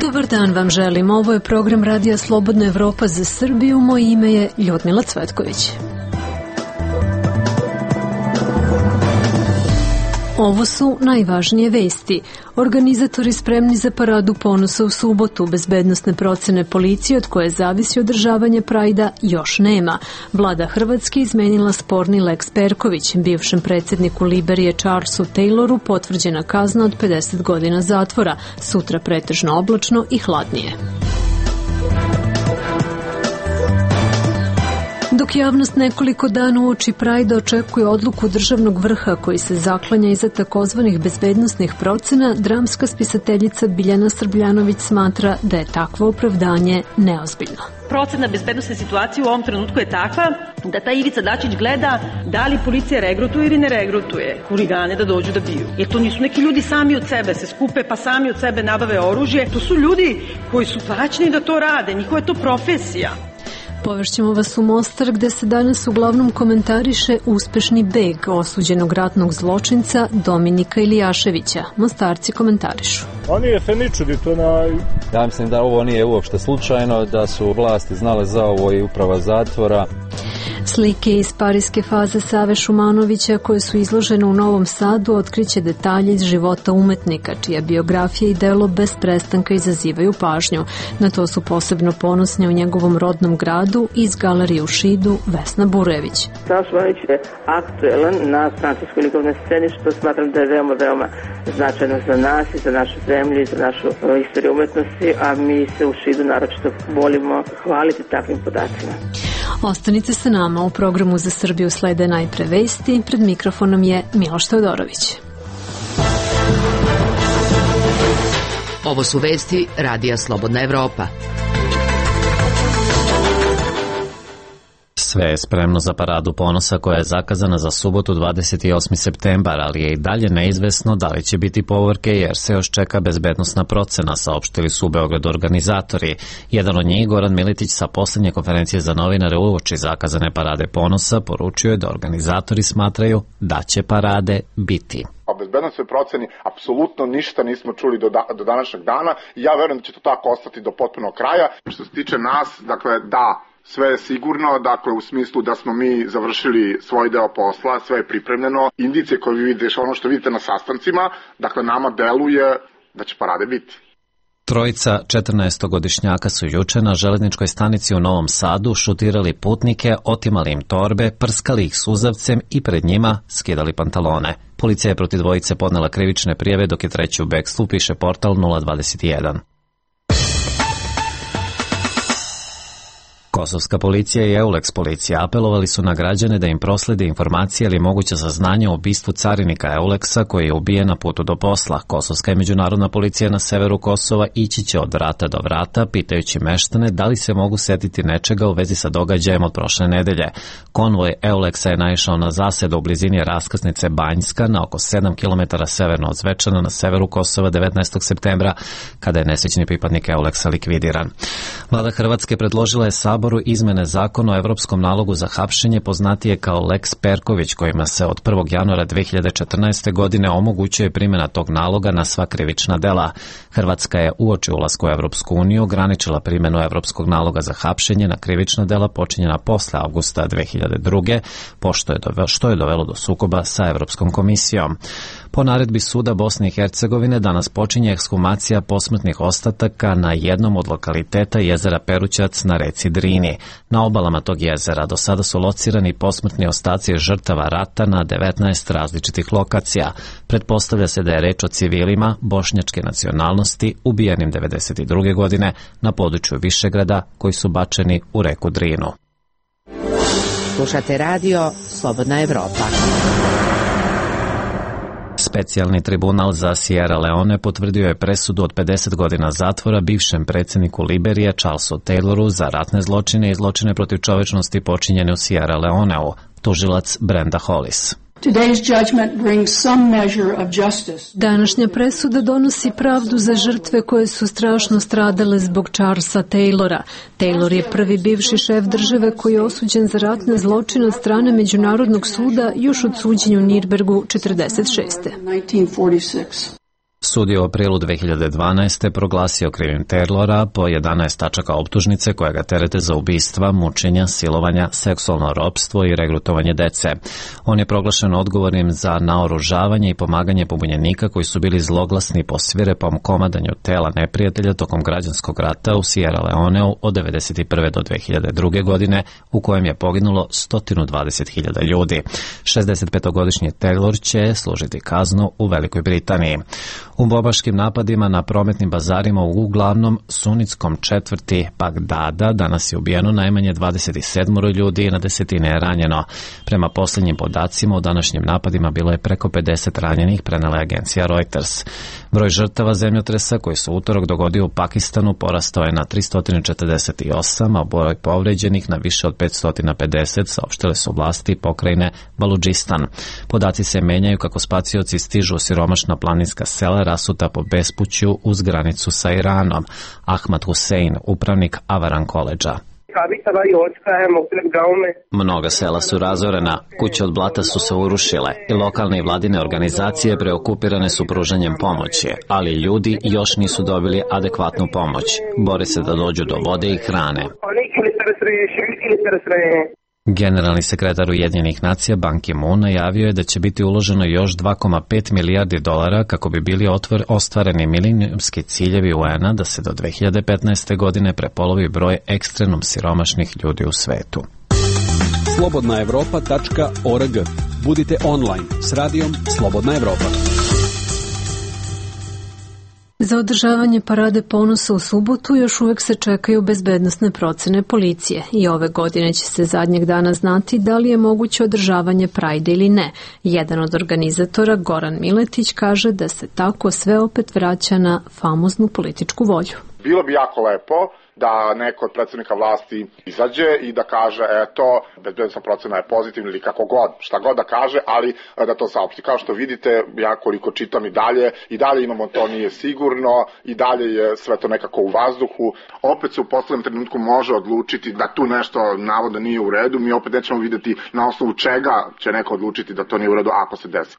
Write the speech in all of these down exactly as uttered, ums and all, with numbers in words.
Dobar dan vam želim. Ovo je program Radija Slobodna Evropa za Srbiju. Moje ime je Ljudmila Cvetković. Ovo su najvažnije vesti. Organizatori spremni za paradu ponosa u subotu. Bezbednosne procene policije od koje zavisi održavanje Prajda još nema. Vlada Hrvatske izmenila sporni Lex Perković. Bivšem predsjedniku Liberije Charlesu Tayloru potvrđena kazna od pedeset godina zatvora. Sutra pretežno oblačno i hladnije. Dok javnost nekoliko dana uoči Prajda očekuje odluku državnog vrha koji se zaklanja iza takozvanih bezbednosnih procena, dramska spisateljica Biljana Srbljanović smatra da je takvo opravdanje neozbiljno. Procena bezbednosne situacije u ovom trenutku je takva da taj Ivica Dačić gleda da li policija regrutuje ili ne regrutuje huligane da dođu da biju. Jer to nisu neki ljudi sami od sebe se skupe pa sami od sebe nabave oružje. To su ljudi koji su plaćeni da to rade. Njihova je to profesija. Povešćemo vas u Mostar gde se danas uglavnom komentariše uspešni beg osuđenog ratnog zločinca Dominika Ilijaševića. Mostarci komentarišu. Oni se ni čudi to na... Ja mislim da ovo nije uopšte slučajno, da su vlasti znale za ovo i uprava zatvora. Slike iz parijske faze Save Šumanovića koje su izložene u Novom Sadu otkriće detalje iz života umetnika, čija biografija i delo bez prestanka izazivaju pažnju. Na to su posebno ponosni u njegovom rodnom gradu iz galerije u Šidu Vesna Burević. Sava Šumanović je aktuelan na francuskoj likovnoj sceni, što smatram da je veoma, veoma značajno za nas i za našu zemlju i za našu istoriju umetnosti, a mi se u Šidu naročito volimo hvaliti takvim podacima. Ostanite sa nama, u programu za Srbiju slede najpre vesti, pred mikrofonom je Miloš Teodorović. Ovo su vesti Radija Slobodna Evropa. Sve je spremno za paradu ponosa koja je zakazana za subotu dvadeset osmi septembar, ali je i dalje neizvesno da li će biti povorke jer se još čeka bezbednosna procena, saopštili su u Beogradu organizatori. Jedan od njih, Goran Militić, sa poslednje konferencije za novinare uoči zakazane parade ponosa, poručio je da organizatori smatraju da će parade biti. O bezbednosnoj proceni apsolutno ništa nismo čuli do, da, do današnjeg dana i ja verujem da će to tako ostati do potpunog kraja. Što se tiče nas, dakle, da, sve je sigurno, dakle u smislu da smo mi završili svoj deo posla, sve je pripremljeno. Indicije koje vi vidite, ono što vidite na sastancima, dakle nama deluje da će parade biti. Trojica četrnaestogodišnjaka su juče na železničkoj stanici u Novom Sadu šutirali putnike, otimali im torbe, prskali ih suzavcem i pred njima skidali pantalone. Policija je protiv dvojice podnela krivične prijave dok je treći u bekstvu, piše portal nula dvadeset jedan. Kosovska policija i Eulex policija apelovali su na građane da im proslede informacije ili moguće saznanje o ubistvu carinika Eulexa koji je ubijen na putu do posla. Kosovska i međunarodna policija na severu Kosova ići će od vrata do vrata, pitajući meštane da li se mogu setiti nečega u vezi sa događajem od prošle nedelje. Konvoj Eulexa je naišao na zasedu u blizini raskrsnice Banjska na oko sedam kilometara severno od Zvečana na severu Kosova devetnaestog septembra, kada je nesrećni pripadnik Eulexa likvidiran. Vlada Hrvatske predložila je Saboru izmene zakona o evropskom nalogu za hapšenje, poznatije kao Lex Perković, kojima se od prvog januara dve hiljade četrnaeste. godine omogućuje primjena tog naloga na sva krivična dela. Hrvatska je uoči ulaska u Evropsku uniju ograničila primjenu evropskog naloga za hapšenje na krivična dela počinjena posle avgusta dve hiljade druge. pošto je dovelo, što je dovelo do sukoba sa Evropskom komisijom. Po naredbi suda Bosne i Hercegovine danas počinje ekshumacija posmrtnih ostataka na jednom od lokaliteta jezera Perućac na reci Drini. Na obalama tog jezera do sada su locirani posmrtni ostaci žrtava rata na devetnaest različitih lokacija. Pretpostavlja se da je reč o civilima bošnjačke nacionalnosti ubijenim devedeset druge. godine na području Višegrada koji su bačeni u reku Drinu. Slušate radio Slobodna Evropa. Specijalni tribunal za Sierra Leone potvrdio je presudu od pedeset godina zatvora bivšem predsjedniku Liberije Charlesu Tayloru za ratne zločine i zločine protiv čovečnosti počinjene u Sierra Leoneu, tužilac Brenda Hollis. Današnja presuda donosi pravdu za žrtve koje su strašno stradale zbog Charlesa Taylora. Taylor je prvi bivši šef države koji je osuđen za ratne zločine od strane Međunarodnog suda još od suđenja u Nürnbergu četrdeset šeste. Sud je u aprilu dve hiljade dvanaeste. proglasio krivim Taylora po jedanaest tačaka optužnice koje ga terete za ubistva, mučenja, silovanja, seksualno ropstvo i regrutovanje dece. On je proglašen odgovornim za naoružavanje i pomaganje pobunjenika koji su bili zloglasni po svirepom komadanju tela neprijatelja tokom građanskog rata u Sierra Leoneu od devedeset prve do dve hiljade druge. godine, u kojem je poginulo sto dvadeset hiljada ljudi. šezdesetpetogodišnji Taylor će služiti kaznu u Velikoj Britaniji. U bombaškim napadima na prometnim bazarima u uglavnom sunitskom četvrti Bagdada danas je ubijeno najmanje dvadeset sedam ljudi i na desetine je ranjeno. Prema posljednjim podacima u današnjim napadima bilo je preko pedeset ranjenih, prenela je agencija Reuters. Broj žrtava zemljotresa koji se u utorak dogodio u Pakistanu porastao je na tristo četrdeset osam, a broj povređenih na više od petsto pedeset, saopštile su vlasti pokrajine Baludžistan. Podaci se menjaju kako spacioci stižu u siromašna planinska sela rasuta po bespuću uz granicu sa Iranom. Ahmad Hussein, upravnik Avaran koledža. Mnoga sela su razorena, kuće od blata su se urušile i lokalne i vladine organizacije preokupirane su pružanjem pomoći, ali ljudi još nisu dobili adekvatnu pomoć. Bore se da dođu do vode i hrane. Generalni sekretar Ujedinjenih nacija Ban Ki-moon najavio je da će biti uloženo još dva zarez pet milijardi dolara kako bi bili otvor, ostvareni milenijumski ciljevi U N-a da se do dve hiljade petnaeste. godine prepolovi broj ekstremno siromašnih ljudi u svetu. slobodna evropa tačka org. Budite online s radijom Slobodna Evropa. Za održavanje parade ponosa u subotu još uvek se čekaju bezbednosne procene policije i ove godine će se zadnjeg dana znati da li je moguće održavanje Prajda ili ne. Jedan od organizatora, Goran Miletić, kaže da se tako sve opet vraća na famoznu političku volju. Bilo bi jako lepo da neko od predsednika vlasti izađe i da kaže eto, bezbednosna procena je pozitivna ili kako god, šta god da kaže, ali da to saopšti. Kao što vidite, ja koliko čitam i dalje, i dalje imamo to nije sigurno, i dalje je sve to nekako u vazduhu. Opet se u poslednjem trenutku može odlučiti da tu nešto navodno nije u redu, mi opet nećemo videti na osnovu čega će neko odlučiti da to nije u redu ako se desi.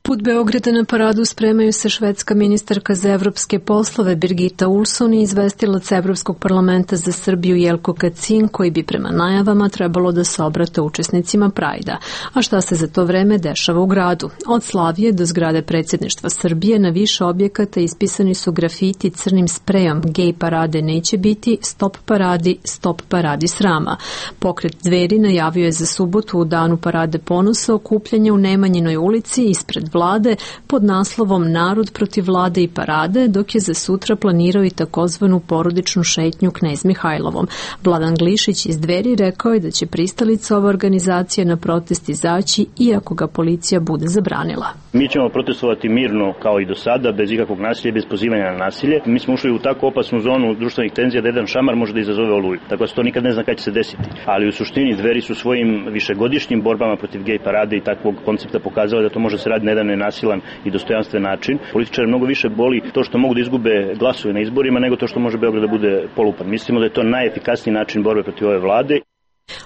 Put Beograda na paradu spremaju se švedska ministarka za evropske poslove Birgitta Olsson i izvestilac Evropskog parlamenta za Srbiju Jelko Kacin, koji bi prema najavama trebalo da se obrate učesnicima Prajda. A šta se za to vreme dešava u gradu? Od Slavije do zgrade predsjedništva Srbije na više objekata ispisani su grafiti crnim sprejom "Gej parade neće biti, stop paradi, stop paradi srama". Pokret Dveri najavio je za subotu u danu parade ponosa okupljanje u Nemanjinoj ulici ispred vlade pod naslovom "Narod protiv vlade i parade", dok je za sutra planirao i takozvanu porodičnu šetnju Knez Mihajlovom. Vladan Glišić iz Dveri rekao je da će pristalica ove organizacije na protest izaći iako ga policija bude zabranila. Mi ćemo protestovati mirno kao i do sada, bez ikakvog nasilja i bez pozivanja na nasilje. Mi smo ušli u tako opasnu zonu društvenih tenzija da jedan šamar može da izazove oluju. Tako da se to nikad ne zna kada će se desiti. Ali u suštini Dveri su svojim višegodišnjim borbama protiv gej parade i takvog koncepta pokazali da to može se raditi na jedan nenasilan i dostojanstven način. Političare mnogo više boli to što mogu da izgube glasove na izborima nego to što može Beograd da bude polupan. Mislimo da je to najefikasniji način borbe protiv ove vlade.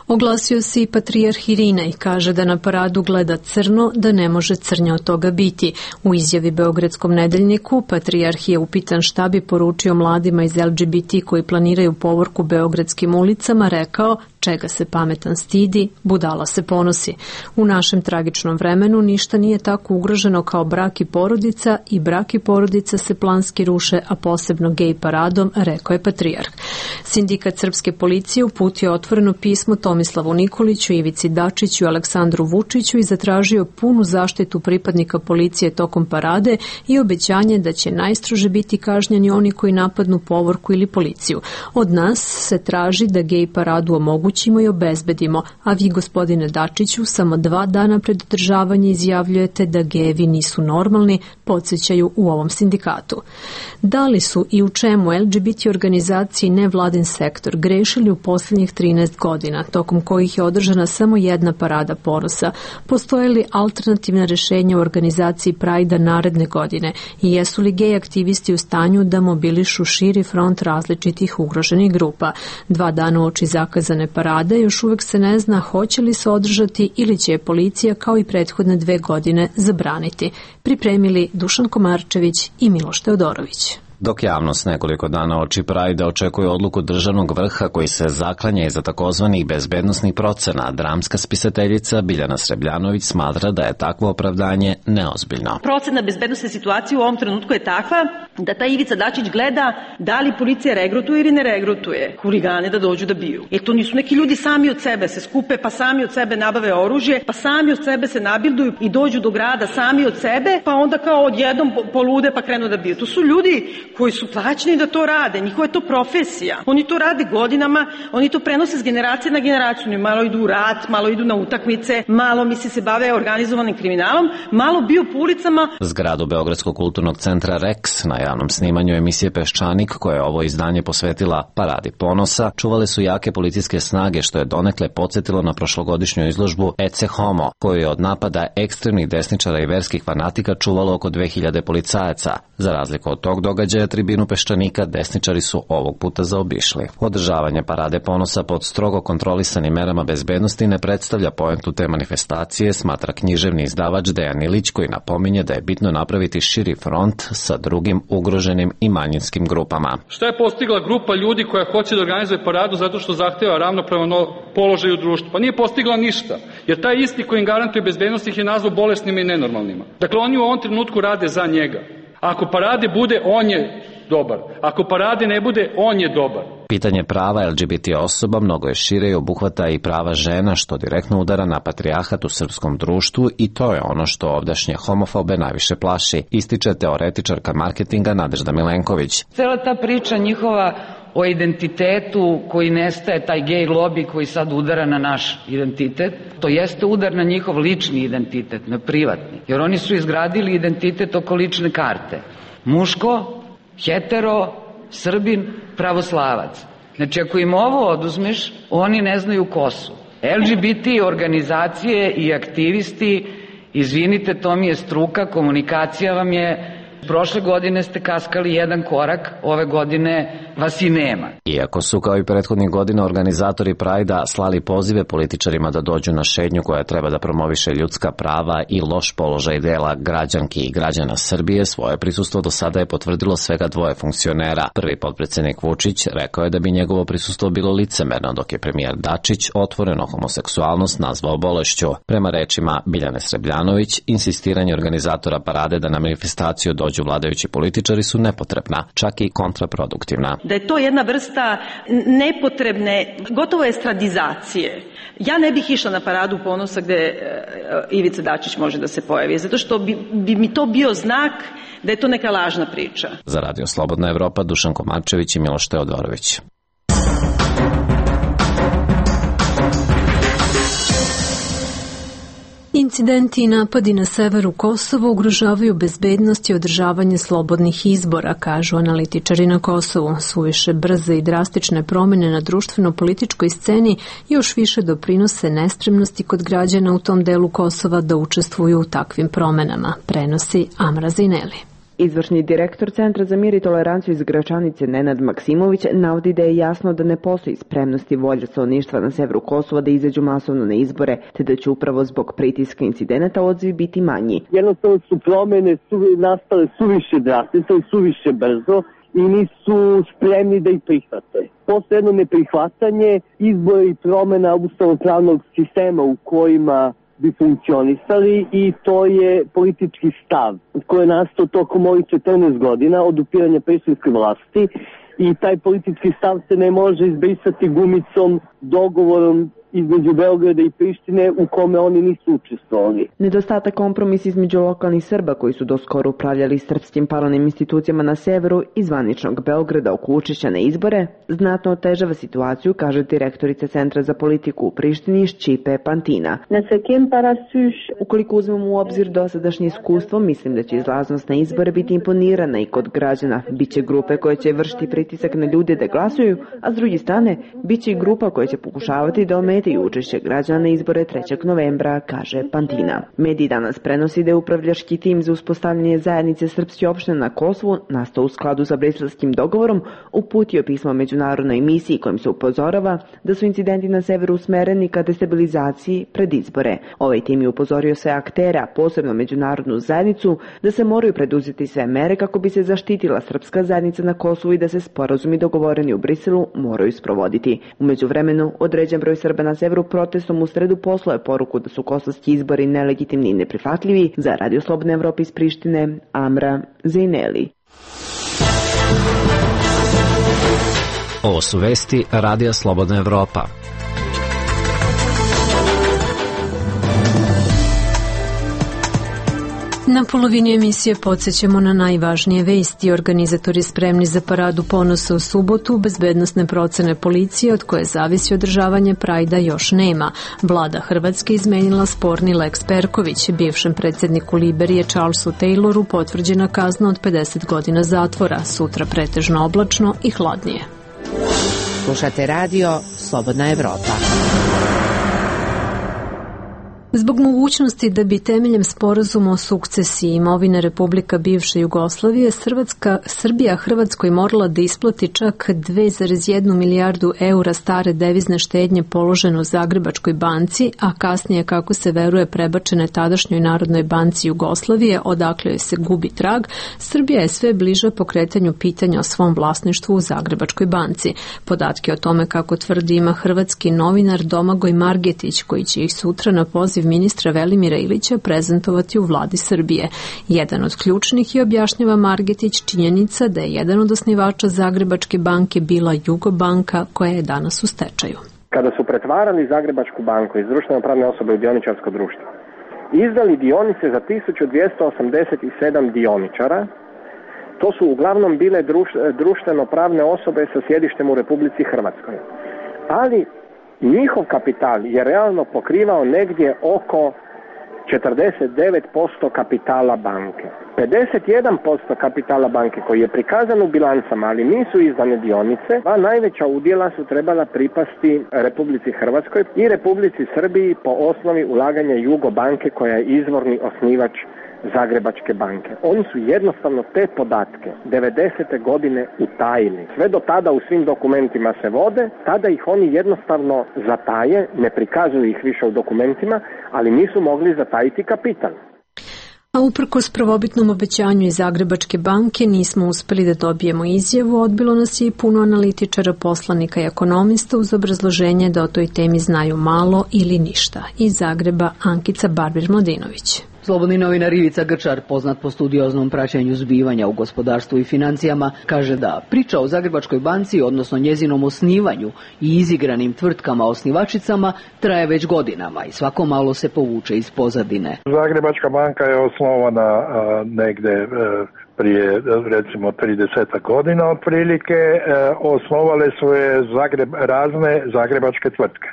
Oglasio se i patrijarh Irinej, kaže da na paradu gleda crno, da ne može crnje od toga biti. U izjavi Beogradskom nedeljniku patrijarh je upitan šta bi poručio mladima iz L G B T koji planiraju povorku beogradskim ulicama, rekao: čega se pametan stidi, budala se ponosi. U našem tragičnom vremenu ništa nije tako ugroženo kao brak i porodica i brak i porodica se planski ruše, a posebno gej paradom, rekao je patrijarh. Sindikat srpske policije uputio otvoreno pismo Tomislavu Nikoliću, Ivici Dačiću i Aleksandru Vučiću i zatražio punu zaštitu pripadnika policije tokom parade i obećanje da će najstrože biti kažnjeni oni koji napadnu povorku ili policiju. Od nas se traži da gej paradu omogući omogućimo i obezbedimo, a vi, gospodine Dačiću, samo dva dana pred održavanje izjavljujete da gejevi nisu normalni, podsjećaju u ovom sindikatu. Da li su i u čemu L G B T organizacije i nevladin sektor grešili u posljednjih trinaest godina, tokom kojih je održana samo jedna parada ponosa, postoje li alternativna rješenja u organizaciji Prajda naredne godine i jesu li gej aktivisti u stanju da mobilišu širi front različitih ugroženih grupa? Dva dana uoči zakazane parade još uvek se ne zna hoće li se održati ili će je policija kao i prethodne dve godine zabraniti. Pripremili Dušan Komarčević i Miloš Teodorović. Dok javnost nekoliko dana oči Prajda očekuje odluku državnog vrha koji se zaklanja iza takozvanih bezbednosnih procena, dramska spisateljica Biljana Srebljanović smatra da je takvo opravdanje neozbiljno. Procena bezbednosne situacije u ovom trenutku je takva da taj Ivica Dačić gleda da li policija regrutuje ili ne regrutuje huligane da dođu da biju. Jer to nisu neki ljudi sami od sebe se skupe, pa sami od sebe nabave oružje, pa sami od sebe se nabilduju i dođu do grada sami od sebe, pa onda kao odjednom polude pa krenu da biju. To su ljudi koji su plaćeni da to rade, njihova je to profesija. Oni to rade godinama, oni to prenose s generacije na generaciju. Oni malo idu u rat, malo idu na utakmice, malo misli se bave organizovanim kriminalom, malo biju po ulicama. Zgradu Beogradskog kulturnog centra Rex na javnom snimanju emisije Peščanik, koje je ovo izdanje posvetila Paradi ponosa, čuvale su jake policijske snage, što je donekle podsjetilo na prošlogodišnju izložbu Ecce Homo, koju je od napada ekstremnih desničara i verskih fanatika čuvalo oko dve hiljade policajaca. Za razliku od tog događaja, tribinu Peščanika desničari su ovog puta zaobišli. Održavanje Parade ponosa pod strogo kontrolisanim merama bezbednosti ne predstavlja poentu te manifestacije, smatra književni izdavač Dejan Ilić, koji napominje da je bitno napraviti širi front sa drugim ugroženim i manjinskim grupama. Šta je postigla grupa ljudi koja hoće da organizuje paradu zato što zahteva ravnopravan položaj u društvu? Pa nije postigla ništa, jer taj isti koji im garantuje bezbednost ih je nazvao bolesnima i nenormalnima. Dakle, oni u ovom trenutku rade za njega. Ako parade bude, on je dobar. Ako parade ne bude, on je dobar. Pitanje prava L G B T osoba mnogo je šire i obuhvata i prava žena, što direktno udara na patrijarhat u srpskom društvu, i to je ono što ovdašnje homofobe najviše plaši, ističe teoretičarka marketinga Nadežda Milenković. Cela ta priča njihova o identitetu koji nestaje, taj gej lobby koji sad udara na naš identitet, to jeste udar na njihov lični identitet, na privatni. Jer oni su izgradili identitet oko lične karte. Muško, hetero, Srbin, pravoslavac. Znači, ako im ovo oduzmeš, oni ne znaju ko su. L G B T organizacije i aktivisti, izvinite, to mi je struka, komunikacija vam je. Prošle godine ste kaskali jedan korak, ove godine vas i nema. Iako su kao i prethodnih godina organizatori Prajda slali pozive političarima da dođu na šetnju koja treba da promoviše ljudska prava i loš položaj dela građanki i građana Srbije, svoje prisustvo do sada je potvrdilo svega dvoje funkcionera. Prvi potpredsednik Vučić rekao je da bi njegovo prisustvo bilo licemerno, dok je premijer Dačić otvoreno homoseksualnost nazvao bolešću. Prema rečima Biljane Srebljanović, insistiranje organizatora parade da na manifestaciju dođu vladajući političari su nepotrebna, čak i kontraproduktivna. Da je to jedna vrsta nepotrebne, gotovo estradizacije. Ja ne bih išla na Paradu ponosa gde Ivica Dačić može da se pojavi, zato što bi, bi mi to bio znak da je to neka lažna priča. Za Radio Slobodna Evropa, Dušan Komarčević i Miloš Teodorović. Incidenti i napadi na severu Kosova ugrožavaju bezbednost i održavanje slobodnih izbora, kažu analitičari na Kosovu. Suviše brze i drastične promjene na društveno-političkoj sceni još više doprinose nespremnosti kod građana u tom delu Kosova da učestvuju u takvim promjenama, prenosi Amra Zineli. Izvršni direktor Centra za mir i toleranciju iz Gračanice Nenad Maksimović navodi da je jasno da ne postoji spremnost i volja stanovništva na severu Kosova da izađu masovno na izbore, te da će upravo zbog pritiska incidenata odzivi biti manji. Jednostavno su promjene su nastale suviše drastično i suviše brzo i nisu spremni da ih prihvate. Postoje jedno neprihvatanje izbora i promjena ustavno-pravnog sistema u kojima bi funkcionisali i to je politički stav koji je nastao tokom ovih četrnaest godina od upiranja prištinske vlasti i taj politički stav se ne može izbrisati gumicom, dogovorom između Beograda i Prištine u kome oni nisu učestvovali. Nedostatak kompromis između lokalnih Srba koji su doskoro upravljali srpskim paralelnim institucijama na severu i zvaničnog Beograda oko učešća na izbore znatno otežava situaciju, kaže direktorica Centra za politiku u Prištini Šćipe Pantina. Ukoliko uzmemo u obzir dosadašnje iskustvo, mislim da će izlaznost na izbore biti imponirana i kod građana. Biće grupe koje će vršiti pritisak na ljude da glasuju, a s druge strane, biće i grupa koja će pokušavati da ometaju učešće građana na izbore trećeg novembra, kaže Pantina. Mediji danas prenosi da je upravljački tim za uspostavljanje zajednice srpske opštine na Kosovu, nastao u skladu sa briselskim dogovorom, uputio pismo međunarodnoj misiji kojim se upozorava da su incidenti na severu usmereni ka destabilizaciji pred izbore. Ovaj tim je upozorio sve aktere, posebno međunarodnu zajednicu, da se moraju preduzeti sve mere kako bi se zaštitila srpska zajednica na Kosovu i da se sporazumi dogovoreni u Briselu moraju sprovoditi. U međuvremenu, određen broj Srba na severu protestom u sredu poslao je poruku da su kosovski izbori nelegitimni i neprihvatljivi. Za Radio Slobodne Evrope iz Prištine, Amra Zejneli. Ovo su vesti Radija Slobodna Evropa. Na polovini emisije podsjećamo na najvažnije vesti. Organizatori spremni za paradu ponosa u subotu, bezbednosne procene policije od koje zavisi održavanje Prajda još nema. Vlada Hrvatske izmenila sporni Lex Perković. Bivšem predsjedniku Liberije Charlesu Tayloru potvrđena kazna od pedeset godina zatvora. Sutra pretežno oblačno i hladnije. Slušate radio Slobodna Evropa. Zbog mogućnosti da bi temeljem sporazuma o sukcesiji imovine Republika bivše Jugoslavije Hrvatska, Srbija Hrvatskoj morala da isplati čak dve zarez jednu milijardu eura stare devizne štednje položene u Zagrebačkoj banci, a kasnije, kako se veruje, prebačene tadašnjoj Narodnoj banci Jugoslavije, odakle joj se gubi trag, Srbija je sve bliža pokretanju pitanja o svom vlasništvu u Zagrebačkoj banci. Podatke o tome, kako tvrdi, ima hrvatski novinar Domagoj Margetić, koji će ih sutra na poziv ministra Velimira Ilića prezentovati u vladi Srbije. Jedan od ključnih je, objašnjava Margetić, činjenica da je jedan od osnivača Zagrebačke banke bila Jugobanka, koja je danas u stečaju. Kada su pretvarali Zagrebačku banku iz društveno pravne osobe u dioničarsko društvo, izdali dionice za tisuću dvjesto osamdeset sedam dioničara. To su uglavnom bile društveno pravne osobe sa sjedištem u Republici Hrvatskoj. Ali njihov kapital je realno pokrivao negdje oko četrdeset devet posto kapitala banke. pedeset jedan posto kapitala banke koji je prikazan u bilancama, ali nisu izdane dionice, a najveća udjela su trebala pripasti Republici Hrvatskoj i Republici Srbiji po osnovi ulaganja Jugobanke, koja je izvorni osnivač Zagrebačke banke. Oni su jednostavno te podatke devedesete godine utajili. Sve do tada u svim dokumentima se vode, tada ih oni jednostavno zataje, ne prikazuju ih više u dokumentima, ali nisu mogli zatajiti kapital. A uprkos prvobitnom obećanju iz Zagrebačke banke nismo uspeli da dobijemo izjavu, odbilo nas je i puno analitičara, poslanika i ekonomista uz obrazloženje da o toj temi znaju malo ili ništa. Iz Zagreba Ankica Barbir-Mladinović. Slobodni novinar Ivica Grčar, poznat po studioznom praćenju zbivanja u gospodarstvu i financijama, kaže da priča o Zagrebačkoj banci, odnosno njezinom osnivanju i izigranim tvrtkama osnivačicama, traje već godinama i svako malo se povuče iz pozadine. Zagrebačka banka je osnovana a, negde a, prije recimo trideset godina otprilike. E, osnovale su je Zagreb, razne zagrebačke tvrtke.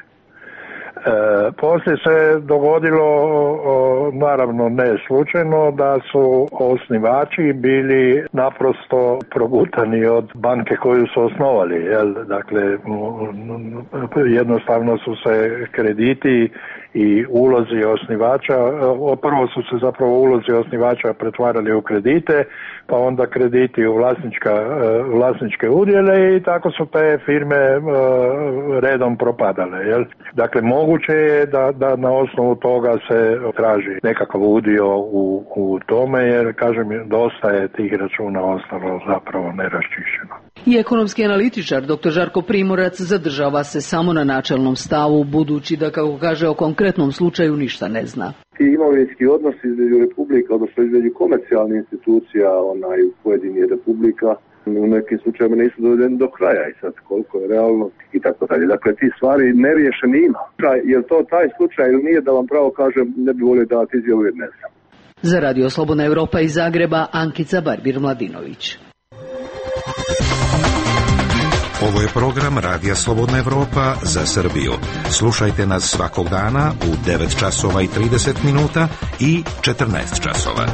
E, poslije se dogodilo, o, naravno ne slučajno, da su osnivači bili naprosto progutani od banke koju su osnovali. Jel? Dakle, jednostavno su se krediti i ulozi osnivača, prvo su se zapravo ulozi osnivača pretvarali u kredite, pa onda krediti u vlasnička, vlasničke udjele i tako su te firme redom propadale. Jel? Dakle, moguće je da, da na osnovu toga se traži nekakav udio u, u tome, jer, kažem, dosta je tih računa ostalo zapravo neraščišćeno. I ekonomski analitičar dr. Žarko Primorac zadržava se samo na načelnom stavu, budući da, kako kaže, o konkretnom slučaju ništa ne zna. I imovinski odnos između republika, odnosno između komercijalnih institucija onaj, u pojedinih republika u nekim slučajima nisu dovedeni do kraja i sad koliko je realno i tako dalje. Dakle, ti stvari neriješeni ima. Je li to taj slučaj ili nije, da vam pravo kažem, ne bi volio dati izjavu jer ne znam. Za Radio Slobodna Evropa iz Zagreba, Ankica Barbir-Mladinović. Ovo je program Radija Slobodna Evropa za Srbiju. Slušajte nas svakog dana u devet časova i trideset minuta i četrnaest časova.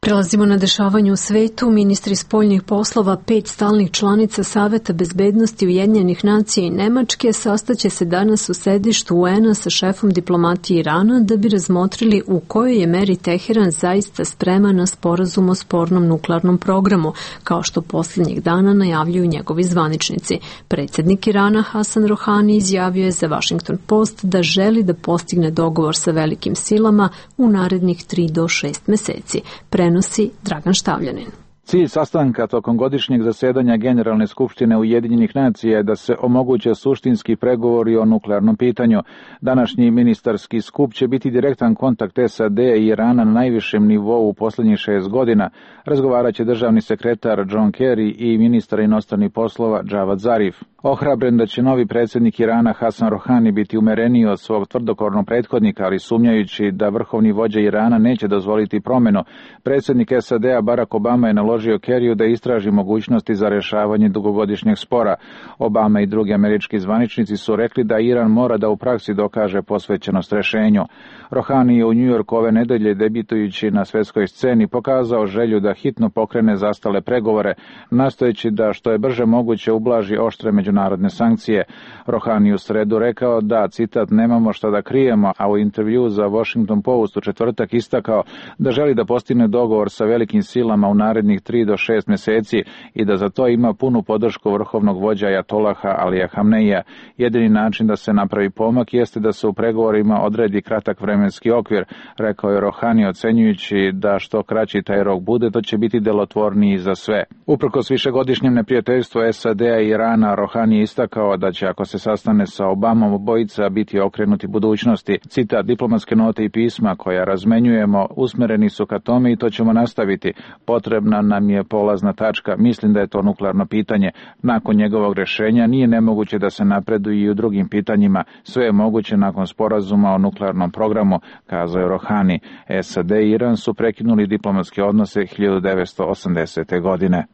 Prelazimo na dešavanje u svetu. Ministri spoljnih poslova pet stalnih članica Saveta bezbednosti Ujedinjenih nacija i Nemačke sastaće se danas u sedištu U N-a sa šefom diplomatije Irana da bi razmotrili u kojoj je meri Teheran zaista spreman na sporazum o spornom nuklearnom programu, kao što posljednjih dana najavljuju njegovi zvaničnici. Predsjednik Irana Hasan Rohani izjavio je za Washington Post da želi da postigne dogovor sa velikim silama u narednih tri do šest meseci. Prenosi Dragan Štavljanin. Cilj sastanka tokom godišnjeg zasedanja Generalne skupštine Ujedinjenih nacija je da se omoguće suštinski pregovori o nuklearnom pitanju. Današnji ministarski skup će biti direktan kontakt S A D i Irana na najvišem nivou u posljednjih šest godina. Razgovarat će državni sekretar John Kerry i ministar inostranih poslova Javad Zarif. Ohrabren da će novi predsjednik Irana Hasan Rohani biti umereniji od svog tvrdokornog prethodnika, ali sumnjajući da vrhovni vođa Irana neće dozvoliti promjenu, predsjednik S A D-a Barack Obama je naložio Kerryu da istraži mogućnosti za rješavanje dugogodišnjeg spora. Obama i drugi američki zvaničnici su rekli da Iran mora da u praksi dokaže posvećenost rješenju. Rohani je u New Yorku ove nedelje, debitujući na svjetskoj sceni, pokazao želju da hitno pokrene zastale pregovore, nastojeći da što je brže moguće ublaži oštre međunarodne sankcije. Rohani u sredu rekao da, citat, nemamo šta da krijemo, a u intervju za Washington Post u četvrtak istakao da želi da postigne dogovor sa velikim silama u narednih tri do šest mjeseci i da za to ima punu podršku vrhovnog vođa Ajatolaha Alija Hamneija. Jedini način da se napravi pomak jeste da se u pregovorima odredi kratak vremenski okvir, rekao je Rohani, ocenjujući da što kraći taj rok bude, to će biti delotvorniji za sve. Uprkos višegodišnjem neprijateljstvu S A D-a i Irana, Rohani je istakao da će, ako se sastane sa Obamom, obojica biti okrenuti budućnosti. Citat, diplomatske note i pisma koja razmenjujemo usmereni su ka tome i to ćemo nastaviti. Potrebna nam je polazna tačka. Mislim da je to nuklearno pitanje. Nakon njegovog rješenja nije nemoguće da se napreduje i u drugim pitanjima. Sve je moguće nakon sporazuma o nuklearnom programu, kazao je Rohani. S A D i Iran su prekinuli diplomatske odnose hiljadu devetsto osamdesete. godine.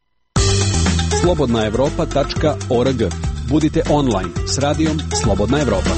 slobodna evropa tačka org. Budite online s radijom Slobodna Evropa.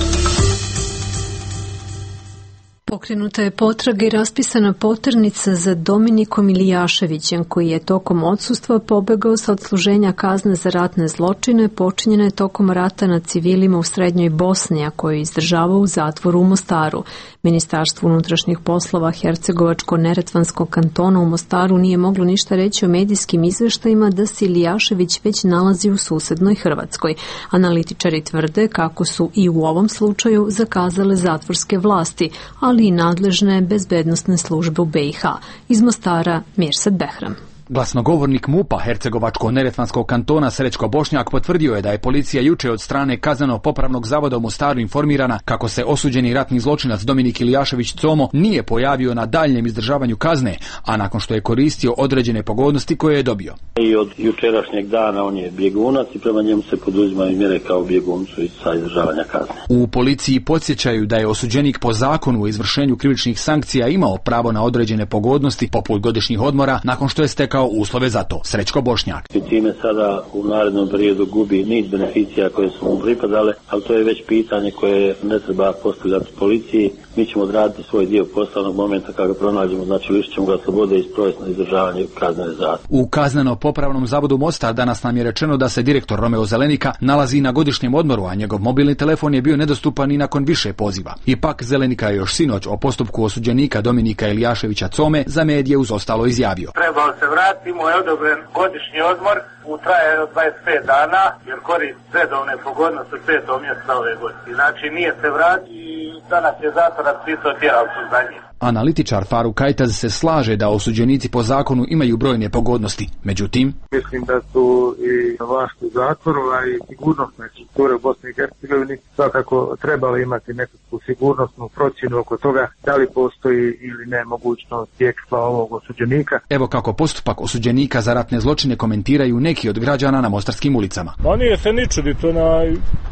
Pokrenuta je potraga i raspisana poternica za Dominikom Ilijaševićem, koji je tokom odsustva pobegao sa odsluženja kazne za ratne zločine počinjene tokom rata nad civilima u Srednjoj Bosni, a koji je izdržavao u zatvoru u Mostaru. Ministarstvo unutrašnjih poslova Hercegovačko-Neretvanskog kantona u Mostaru nije moglo ništa reći o medijskim izveštajima da se Ilijašević već nalazi u susednoj Hrvatskoj. Analitičari tvrde kako su i u ovom slučaju zakazale zatvorske vlasti, ali i nadležne bezbednosne službe u B i H. Iz Mostara, Mirsad Behram. Glasnogovornik MUP-a Hercegovačko-Neretvanskog kantona Srećko Bošnjak potvrdio je da je policija juče od strane Kazneno-popravnog zavoda u Mostaru informirana kako se osuđeni ratni zločinac Dominik Ilijašević Como nije pojavio na daljnjem izdržavanju kazne, a nakon što je koristio određene pogodnosti koje je dobio. I od jučerašnjeg dana on je bjegunac i prema njemu se poduzimaju mjere kao bjeguncu iz sa izdržavanja kazne. U policiji podsjećaju da je osuđenik po zakonu o izvršenju krivičnih sankcija imao pravo na određene pogodnosti poput godišnjih odmora nakon što je stekao kao uslove za to. Srećko Bošnjak. I time sada u narednom periodu gubi niz beneficija koje su mu pripadale, ali to je već pitanje koje ne treba postavljati policiji. Mi ćemo odraditi svoj dio poslovnog momenta kada ga pronađemo, znači lišit ćemo ga slobode i sprovesti na izdržavanje kaznene zatvora. U Kazneno-popravnom zavodu Mostar danas nam je rečeno da se direktor Romeo Zelenika nalazi na godišnjem odmoru, a njegov mobilni telefon je bio nedostupan i nakon više poziva. Ipak Zelenika je još sinoć o postupku osuđenika Dominika Ilijaševića Come za medije uz ostalo izjavio. Trebao se vratiti, mu je odobren godišnji odmor u trajanju od dvadeset pet dana, jer koristi redovne pogodnosti petog mjeseca ove godine. Znači nije se vratio i danas je zatvor raspisao tjeralicu za njih. Analitičar Faruk Kajtaz se slaže da osuđenici po zakonu imaju brojne pogodnosti. Međutim, mislim da su i vlast u zatvoru, a i sigurnosne strukture u Bosni i Hercegovini svakako trebali imati nekakvu sigurnosnu procjenu oko toga da li postoji ili ne mogućnost bjegstva ovog osuđenika. Evo kako postupak osuđenika za ratne zločine komentiraju neki od građana na mostarskim ulicama. Ma nije se ni čuditi na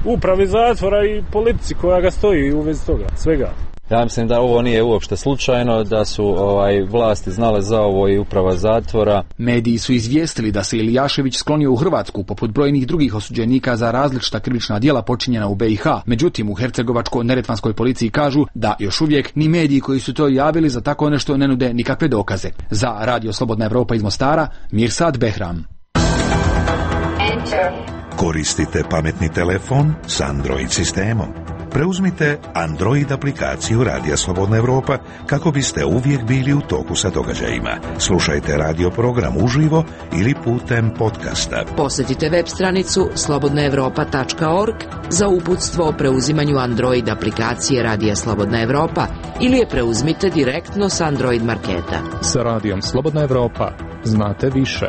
upravi zatvora i politici koja ga stoji u vezi toga, svega. Ja mislim da ovo nije uopšte slučajno, da su ovaj vlasti znale za ovo i uprava zatvora. Mediji su izvijestili da se Ilijašević sklonio u Hrvatsku poput brojnih drugih osuđenika za različita krivična djela počinjena u B i H. Međutim, u hercegovačko-neretvanskoj policiji kažu da još uvijek ni mediji koji su to javili za tako nešto ne nude nikakve dokaze. Za Radio Slobodna Evropa iz Mostara, Mirsad Behram. Koristite pametni telefon s Android sistemom. Preuzmite Android aplikaciju Radija Slobodna Evropa kako biste uvijek bili u toku sa događajima. Slušajte radio program uživo ili putem podcasta. Posjetite web stranicu slobodna evropa tačka org za uputstvo o preuzimanju Android aplikacije Radija Slobodna Evropa ili je preuzmite direktno s Android marketa. Sa Radijom Slobodna Evropa znate više.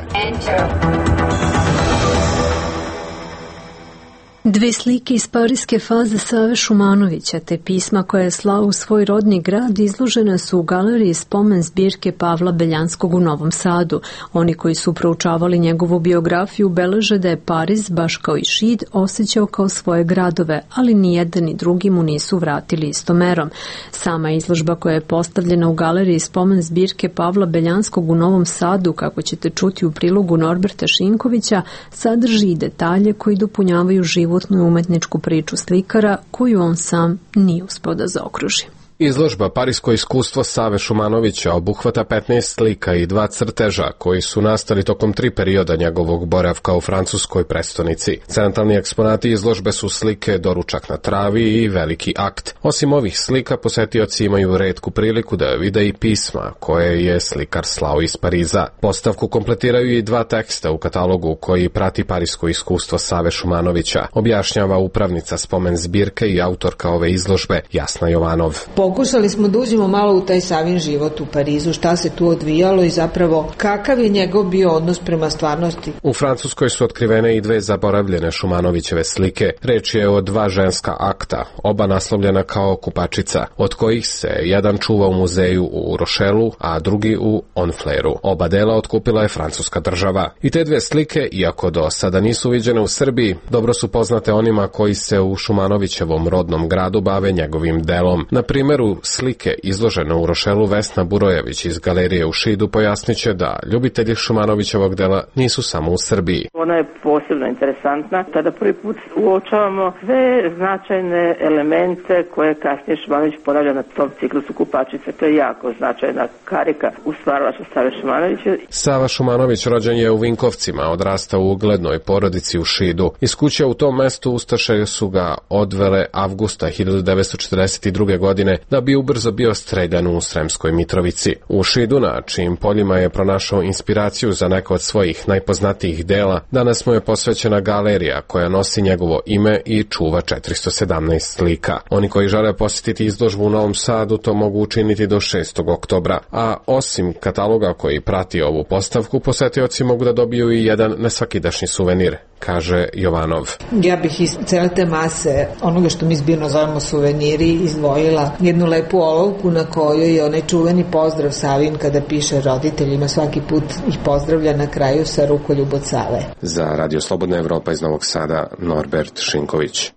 Dve slike iz parijske faze Save Šumanovića te pisma koje je slao u svoj rodni grad izložene su u galeriji spomen zbirke Pavla Beljanskog u Novom Sadu. Oni koji su proučavali njegovu biografiju beleže da je Pariz, baš kao i Šid, osjećao kao svoje gradove, ali ni jedan ni drugi mu nisu vratili istom merom. Sama izložba koja je postavljena u galeriji spomen zbirke Pavla Beljanskog u Novom Sadu, kako ćete čuti u prilogu Norberta Šinkovića, sadrži i detalje koji dopunjavaju život i umetničku priču slikara koju on sam nije uspeo da zaokruži. Izložba Parijsko iskustvo Save Šumanovića obuhvata petnaest slika i dva crteža koji su nastali tokom tri perioda njegovog boravka u francuskoj prestonici. Centralni eksponati izložbe su slike Doručak na travi i Veliki akt. Osim ovih slika, posetioci imaju retku priliku da vide i pisma koje je slikar slao iz Pariza. Postavku kompletiraju i dva teksta u katalogu koji prati Parijsko iskustvo Save Šumanovića, objašnjava upravnica spomen zbirke i autorka ove izložbe Jasna Jovanov. Pokušali smo da uđemo malo u taj Savin život u Parizu, šta se tu odvijalo i zapravo kakav je njegov bio odnos prema stvarnosti. U Francuskoj su otkrivene i dve zaboravljene Šumanovićeve slike. Reč je o dva ženska akta, oba naslovljena kao kupačica, od kojih se jedan čuva u muzeju u Rošelu, a drugi u Onfleru. Oba dela otkupila je francuska država. I te dve slike, iako do sada nisu viđene u Srbiji, dobro su poznate onima koji se u Šumanovićevom rodnom gradu bave njegovim delom. Na primjer, u slike izložene u Rošelu Vesna Burojević iz galerije u Šidu pojasniće da ljubitelji Šumanovićevog dela nisu samo u Srbiji. Ona je posebno interesantna. Tada prvi put uočavamo sve značajne elemente koje kasnije Šumanović ponavlja na tom ciklusu kupačice. To je jako značajna karika u stvaralaštvu Save Šumanovića. Sava Šumanović rođen je u Vinkovcima, odrastao u uglednoj porodici u Šidu. Iz kuće u tom mestu ustaše su ga odvele avgusta hiljadu devetsto četrdeset druge. godine da bi ubrzo bio streljan u Sremskoj Mitrovici. U Šidu, na čijim poljima je pronašao inspiraciju za neko od svojih najpoznatijih dela, danas mu je posvećena galerija koja nosi njegovo ime i čuva četiristo sedamnaest slika. Oni koji žele posjetiti izložbu u Novom Sadu to mogu učiniti do šestog oktobra, a osim kataloga koji prati ovu postavku, posetioci mogu da dobiju i jedan nesvakidašnji suvenir, kaže Jovanov. Ja bih iz cele te mase onoga što mi zbirno zovemo suveniri izdvojila jednu lepu olovku na kojoj je onaj čuveni pozdrav Savin kada piše roditeljima, svaki put ih pozdravlja na kraju sa rukoljub od Save. Za Radio Slobodna Evropa iz Novog Sada, Norbert Šinković.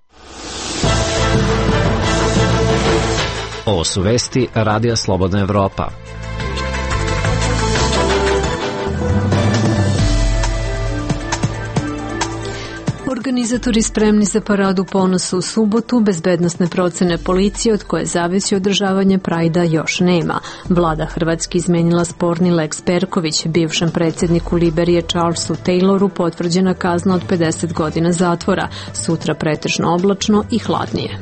Ovo su vesti Radija Slobodna Evropa. Organizatori spremni za paradu ponosa u subotu, bezbednosne procene policije od koje zavisi održavanje Prajda još nema. Vlada Hrvatske izmenila sporni Lex Perković, bivšem predsjedniku Liberije Charlesu Tayloru potvrđena kazna od pedeset godina zatvora, sutra pretežno oblačno i hladnije.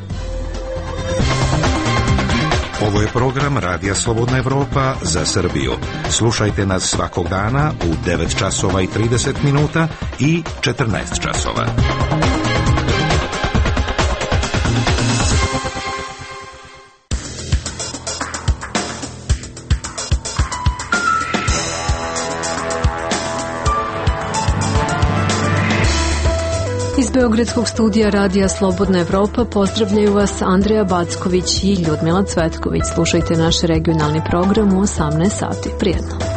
Ovo je program Radija Slobodna Evropa za Srbiju. Slušajte nas svakog dana u devet časova i trideset minuta i četrnaest časova. Iz Beogradskog studija Radija Slobodna Evropa pozdravljaju vas Andreja Backović i Ljudmila Cvetković. Slušajte naš regionalni program u osamnaest sati. Prijetno.